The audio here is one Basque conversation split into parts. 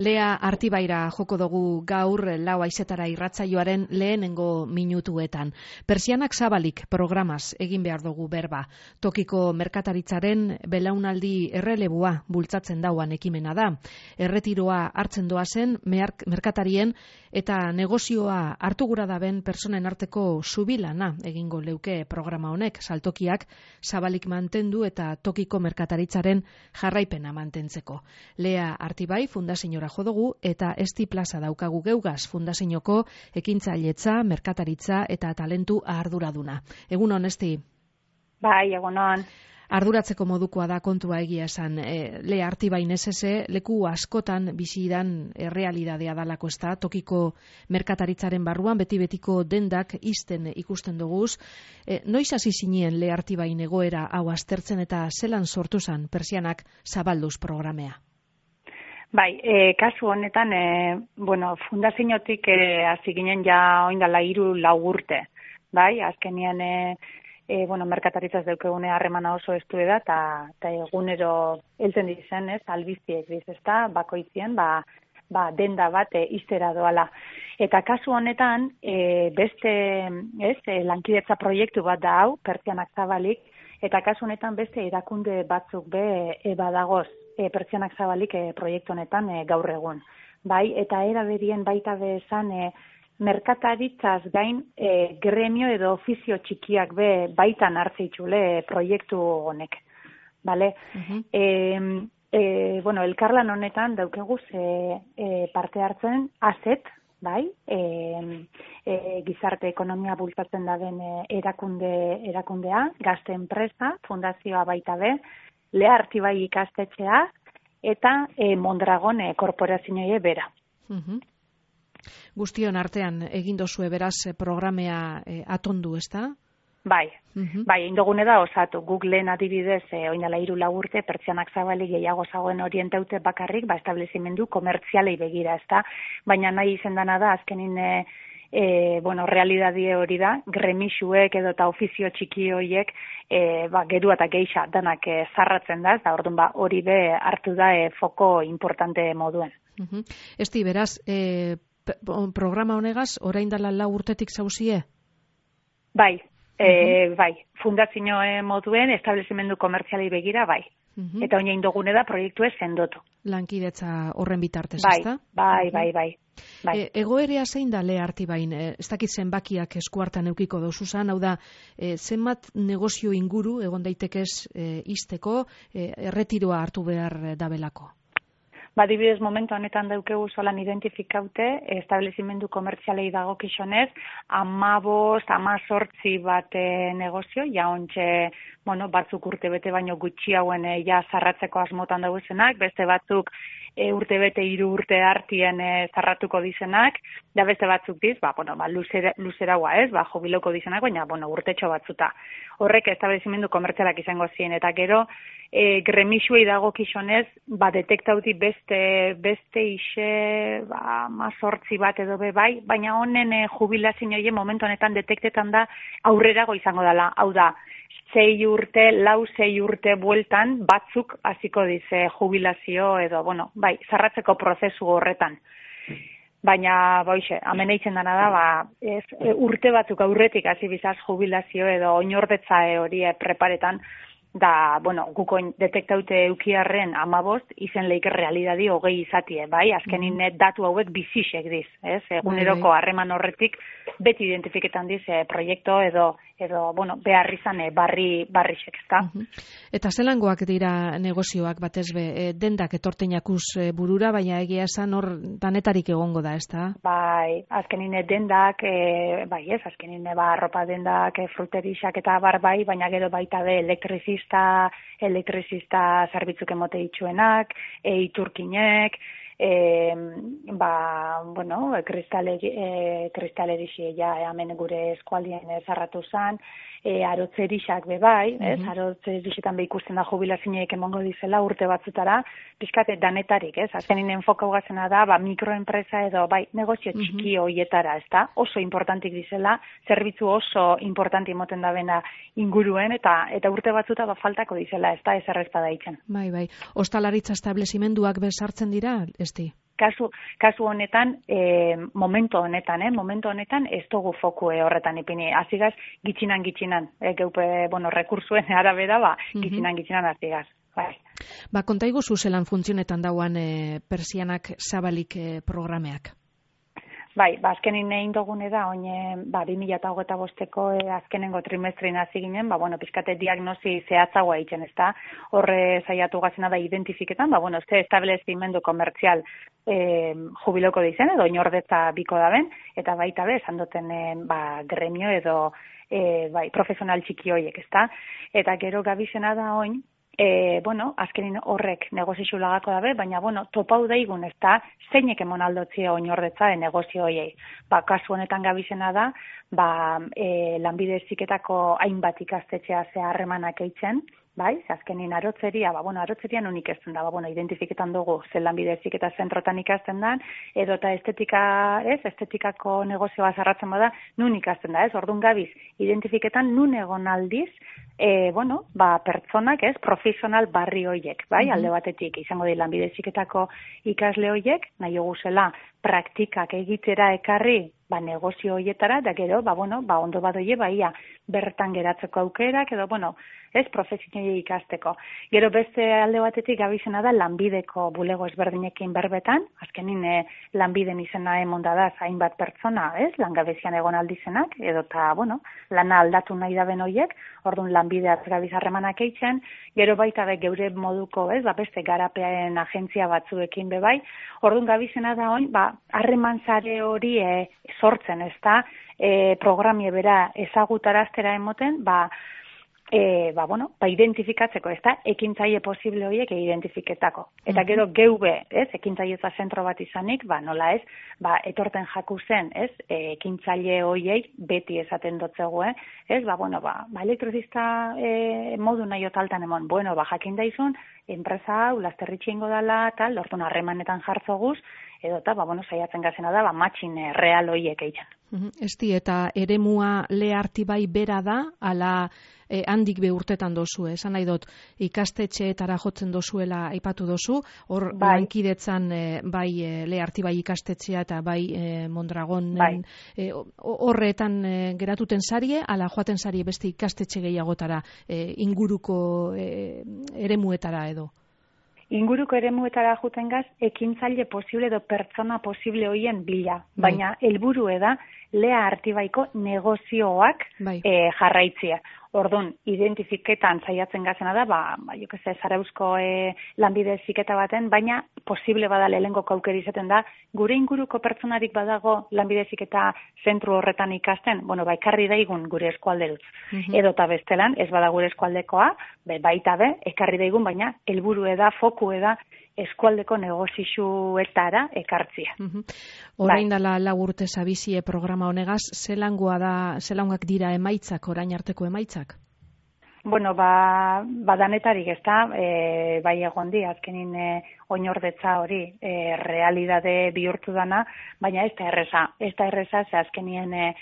Lea Artibaira joko dugu gaur lau haizetara irratsaioaren lehenengo minutuetan. Pertsianak zabalik programaz egin behar dugu berba. Tokiko merkataritzaren belaunaldi errelebua bultzatzen dauan ekimena da. Erretiroa hartzen doazen merkatarien eta negozioa hartu gura daben personen arteko zubilana egingo leuke programa honek, saltokiak zabalik mantendu eta tokiko merkataritzaren jarraipena mantentzeko. Lea Artibai Fundaziora jo dugu eta Esti Plaza daukagu geugaz Fundazioko ekintzailetza, merkataritza eta talentu arduraduna. Egunon, Esti? Bai, egunon. Arduratzeko modukoa da kontua egia esan. Lea Artibai nesese leku askotan bizidan errealidadea dalako ez da, tokiko merkataritzaren barruan beti-betiko dendak isten ikusten duguz. Noiz hasi zinien Lea Artibai egoera hau aztertzen eta zelan sortu zan Pertsianak zabalduz programea? Bai, kasu honetan, fundaziotik hasi ginen ja oindala 3-4 urte. Bai, azkenien, merkataritzaz daukegune harremana oso estu da, eta egunero heltzen dizen, albiztiek diz, ezta, bakoitzien, denda bat iztera doala. Eta kasu honetan, lankidetza proiektu bat da hau, Pertsianak zabalik, eta kasu honetan beste erakunde batzuk badagoz, Pertsianak zabalik proiektu honetan gaur egun. Bai, eta era berien baita bezan merkataritzaz gain gremio edo ofizio txikiak baitan hartzeitxule proiektu honek. Bale? Elkarlan honetan daukeguz parte hartzen ASET, bai, gizarte ekonomia bultzatzen daben erakundea, gazte enpresa, fundazioa baita Lea Artibai ikastetxea eta Mondragon korporazioa bera. Guztion artean egin dozue beraz programea atondu, ezta? Bai, indogune da osatu. Guk lehen adibidez, oinala 3-4 urte, Pertsianak zabalik gehiago zagoen orientaute bakarrik, establezimendu komertzialei begira, ezta? Baina nahi izendana da, azkenin realidadie hori da, gremixuek edo eta ofizio txiki horiek gerua eta geixa danak zarratzen da, eta orduan hori hartu da foko importante moduen. Esti, beraz, programa honegaz, orain dela 4 urtetik zauzie? Bai, fundazio moduen, establezimendu komertzialei begira, bai. Eta oina indogune da proiektue sendotu. Lankidetza horren bitartez, ezta? Bai. Egoerea zein da Lea Artibain? Ez dakit zenbakiak eskuartan eukiko dozuzan, hau da, zenbat negozio inguru egon daitekez izteko, erretiroa hartu behar dabelako? Adibidez, momentu honetan daukegu solan identifikaute, establezimendu komertzialei dagokizonez, 15-18 bat negozio, ja ontxe, batzuk urte bete baino gutxi hauen ja zarratzeko asmotan dauzenak, beste batzuk urte bete 3 urte hartien zarratuko dizenak, da beste batzuk diz, luzeragoa ez, jubiloko dizenak, baina, urtetxo batzuta. Horrek establezimendu komertzialak izango ziren, eta gero, gremixuei dagokizonez, detektauti beste ise, 18 bat edo bai, baina honen jubilazioa momentu honetan detektetan da aurrerago izango dela, hau da, 6 urte bueltan batzuk hasiko dize jubilazio edo, zarratzeko prozesu horretan. Baina, hemen eitzen dana da, urte batzuk aurretik hasi bizaz jubilazio edo oinordetza hori preparetan, da, guko detektaute eukiarren 15, izen leik realidadi 20 izatie, bai? Azkenin datu hauek bizisek diz, ez? Eguneroko harreman horretik beti identifiketan diz proiektu edo behar izan barrisek, ezta? Eta zelangoak dira negozioak batez dendak etorteinakuz burura, baina egia esan hor danetarik egongo da, ezta? Bai, azkenin dendak, azkenin arropa dendak, fruterixak eta bai, baina gero baita elektrizista zerbitzuk emote ditzuenak, iturkinek, kristalerixi hemen gure eskualdien zarratu zan, arotzerixak bai, arotzerixetan ikusten da jubilazioek emongo dizela urte batzutara, pixkate danetarik, azkenin enfokau gazena da, mikroenpresa edo negozio txiki hoietara, ezta? Oso importantik dizela, zerbitzu oso importanti moten da bena inguruen, eta urte batzuta faltako dizela, ezta? Ez errezta daitzen. Bai. Ostalaritza establezimenduak bezartzen dira, Esti? kasu honetan, momentu honetan ez dugu foku horretan ipini. Azigaz, gitxinan, geupe, rekursuen arabera, gitxinan azigaz. Bai. Kontaigu zuzelan funtzionetan dauan persianak zabalik programeak? Bai, azkenin egin dugune da, oin 2025ko azkenengo trimestrin hasi ginen, pizkate diagnosi zehatzagoa egiten, ezta? Horre saiatu gazena da identifiketan, ze establezimendu komertzial jubiloko dizen, edo inordetza biko daben, eta baita be, esan duten gremio edo profesional txiki hoiek, ezta? Eta gero gabizena da oin, azkenin horrek negozio lagako dabe, baina, topau daigun, ez da, zeinek emon aldotzia oinordetza negozio hoiei. Kasu honetan gabizena da, lanbide heziketako hainbat ikastetxea harremanak eitzen, bai, azkenin arotzeria, arotzeria nun ikasten da, identifiketan dugu zen lanbide heziketa zentrotan ikasten da, edo eta estetikako negozioa zarratzen bada, nun ikasten da, orduan gabiz, identifiketan nun egon aldiz, pertsonak, profesional barri hoiek, bai, alde batetik, izango di lanbide heziketako ikasle hoiek, nahi zela praktikak egitera ekarri, negozio hoietara, da gero, ondo badoie, bertan geratzeko aukerak, edo, profesionalei ikasteko. Gero beste alde batetik gabizena da lanbideko bulego ezberdinekin berbetan, azkenin lanbiden izena emonda da hainbat pertsona, langabezian egon aldizenak, edo eta, lana aldatu nahi daben hoiek, orduan lanbideaz gabiz harremanak eitzen, gero baita geure moduko, beste garapean agentzia batzuekin bebai, orduan gabizena da oin, harreman sare hori sortzen, ez da, programie bera ezagutaraztera emoten, identifikatzeko, ez da, ekintzaile posible horiek identifiketako. Eta gero geube, ekintzailetza zentro bat izanik, nola ez, etorten jaku zen, ekintzaile horiei beti esaten dotzegoe, elektrizista modu nahi otaltan emon, jakin daizun, enpresa hau, lasterritxe ingo dela, tal, orduan harremanetan jartzoguz, edo eta, saiatzen gazena da, matxin real horiek egiten. Esti, eta eremua lehartibai bera da, ala handik be urtetan dozu, esan nahi dut, ikastetxeetara jotzen dozuela aipatu dozu, hor lankidetzan bai lehartibai ikastetxea eta bai Mondragon horretan geratuten sarie, ala joaten sarie beste ikastetxe gehiagotara inguruko eremuetara edo? Inguruko eremuetara juten gaz, ekintzaile posible edo pertsona posible hoien bila. Baina helburu da lea artibaiko negozioak jarraitzia. Orduan, identifiketan saiatzen gazena da, Zarauzko lanbide heziketa baten, baina posible bada lehengo aukera izaten da, gure inguruko pertsonarik badago lanbide heziketa zentru horretan ikasten, ekarri daigun gure eskualderutz. Edo eta bestelan, ez bada gure eskualdekoa, baita ekarri daigun, baina helburu da, foku da, eskualdeko negozioetara ekartzia. Orain dela 4 urte zabizie programa honegaz, zelangak dira emaitzak, orain arteko emaitzak? Danetarik ez da, bai egon di, azkenin oinordetza hori realidade bihurtu dana, baina ez da erreza, ze azkenien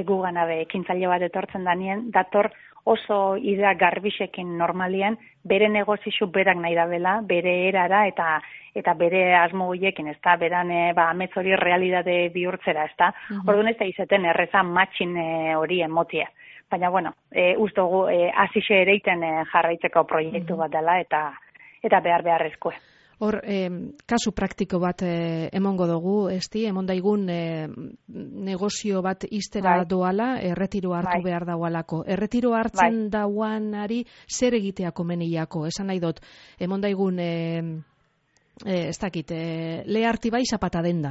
gugana ekintzaile bat etortzen danien, dator oso idea garbisekin normalien, bere negozio berak nahi dabela, bere erara eta bere asmo horiekin, ez da, beran amets hori realidade bihurtzera, ez da. Orduan ez da izaten erreza matxin hori emotia. Baina, uste dugu, azixe ereiten jarraitzeko proiektu bat dela eta beharrezkoa. Hor, kasu praktiko bat emongo dugu, emon daigun negozio bat iztera doala, erretiro hartu behar daualako. Erretiro hartzen dauanari zer egitea komeniako? Esan nahi dut, emon daigun ez dakit, lehartibai zapata denda,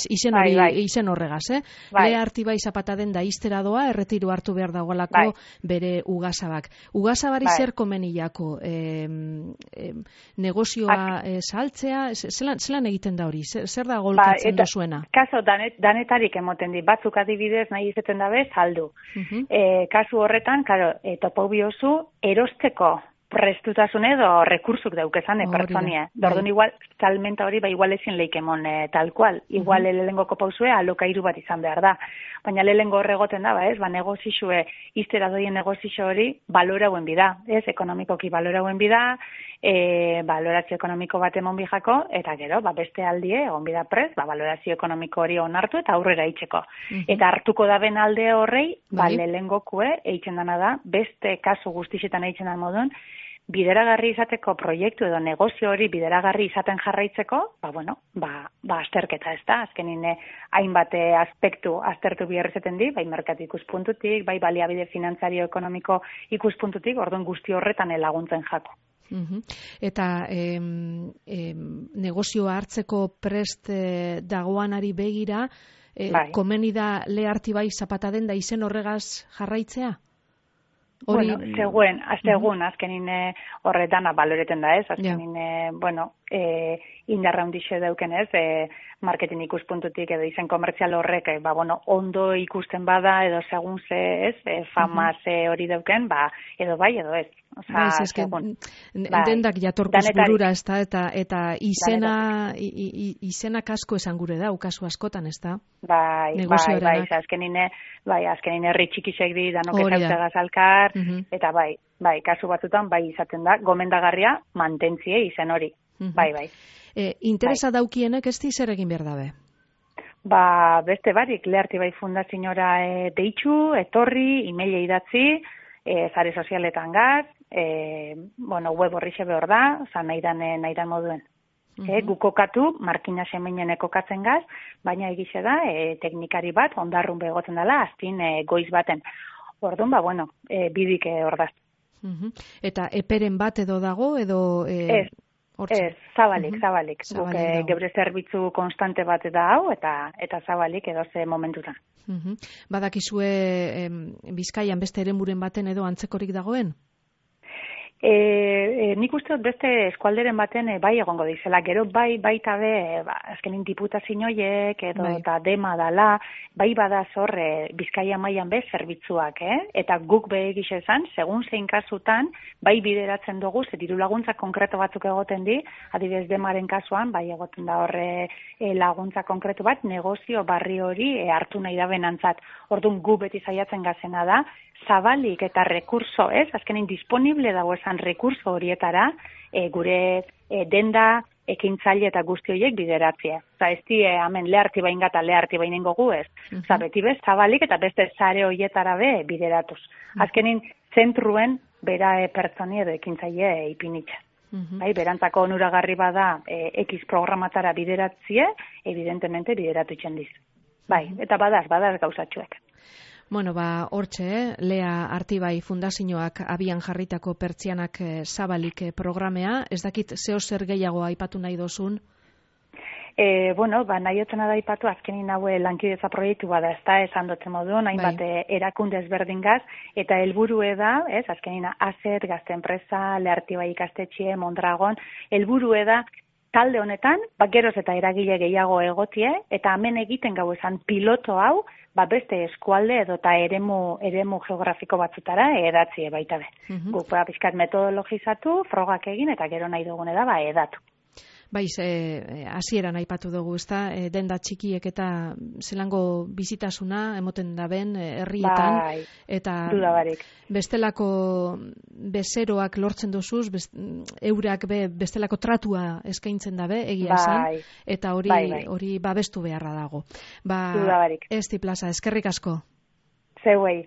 izen horregaz, lehartibai zapata denda iztera doa, erretiro hartu behar dagoelako bere ugazabak. Ugazabari zer komeniako? Negozioa saltzea, zelan egiten da hori? Zer da golkatzen dozuena? Kaso, danetarik emoten di, batzuk adibidez nahi izaten dabe, saldu. Kasu horretan, topau biozu, erosteko prestutasun edo rekursuk daukezan pertsonia. Orduan igual, salmenta hori, igual ezin leikemon tal cual. Igual lehenengoko pausue alokairu bat izan behar da. Baina lehenengo horregoten da, negozioe, iztera doien negozio hori balorauen bida. Ekonomikoki balorauen bida, balorazio ekonomiko bat emon bijako, eta gero, beste aldie, egon bida prez, balorazio ekonomiko hori onartu eta aurrera itxeko. Eta hartuko da ben alde horrei, lehengokue, eitzen dana da, beste kasu guztixetan eitzen dan modun, bideragarri izateko proiektu edo negozio hori bideragarri izaten jarraitzeko, azterketa ez da, azkenin hainbat aspektu aztertu bihar izaten di, bai merkatu ikuspuntutik, bai baliabide finantzario ekonomiko ikuspuntutik, orduan guzti horretan laguntzen jako. Eta negozioa hartzeko prest dagoanari begira, komeni da leharti bai zapata den da izen horregaz jarraitzea? Segun, azkenin horretan baloreten da ez, azkenin, indarra hundixe dauken ez, marketing ikuspuntutik edo izen komertzial horrek, ondo ikusten bada edo segun ze ez, fama ze hori dauken, edo bai, edo ez. Dendak jatorkuz burura ez da, eta izenak asko esan gure da, ukazu askotan ez da? Azkenin herri txikisek di danok ezautzegaz alkar, eta kasu batzutan izaten da, gomendagarria mantentzie izen hori, bai. Interesa daukienek ez di zer egin behar dabe? Beste barik, Leharti bai fundaziora deitxu, etorri, emaila idatzi, zare sozialetan gaz, web horri xebe hor da, nahi dan moduen. Gukokatu, markina semeinen ekokatzen gaz, baina egixe da, teknikari bat, ondarrun begotzen dela, aztin goiz baten. Orduan, bidik hor da. Eta eperen bat edo dago, edo... Ez, zabalik. Guk gebre zerbitzu konstante bat da hau, eta zabalik edo ze momentutan. Badakizue Bizkaian beste eremuren baten edo antzekorik dagoen? Nik uste dut beste eskualderen baten bai egongo dizela, gero baita be, azkenin diputazioiek edo eta dema dala, bai bada zor Bizkaia mailan be zerbitzuak, eta guk be egixe esan, segun zein kasutan, bai bideratzen dugu, diru laguntza konkreto batzuk egoten di, adibidez demaren kasuan, bai egoten da horre laguntza konkretu bat, negozio barri hori hartu nahi da benantzat. Orduan gu beti saiatzen gazena da, zabalik eta rekurso, azkenin disponible dago esan rekurso horietara, gure denda, ekintzaile eta guzti horiek bideratzea. Ez di, hemen leharti bain gata leharti bainengo gu ez. Beti bez, zabalik eta beste zare horietara be bideratuz. Azkenin, zentruen bera pertsoni edo ekintzaile ipinitza. Berantzako onuragarri bada X programatara bideratzie, evidentemente bideratu itxendiz. Eta badaz gauzatxuek. Hortxe, Lea Artibai Fundazioak abian jarritako pertsianak zabalik programea, ez dakit zeo zer gehiago aipatu nahi dozun? Nahi otzena da aipatu, azkenin haue lankidetza proiektu bada, ez da, esan dotzen modun, hainbat erakunde ezberdin gaz, eta helburue da, azkenin AZET, Gazte Enpresa, Lea Artibai ikastetxe, Mondragon, helburue da, talde honetan, geroz eta eragile gehiago egotie, eta hemen egiten gau esan piloto hau, beste eskualde edo eta eremu geografiko batzutara edatzie baita be. Guk pizkat metodologizatu, frogak egin, eta gero nahi dugune da, edatu. Hasieran aipatu dugu, ezta, denda txikiek eta zelango bizitasuna emoten daben herrietan, eta bestelako bezeroak lortzen dozuz, eurak bestelako tratua eskaintzen dabe, egia esan, eta hori babestu beharra dago. Esti Plaza, eskerrik asko. Zeuei.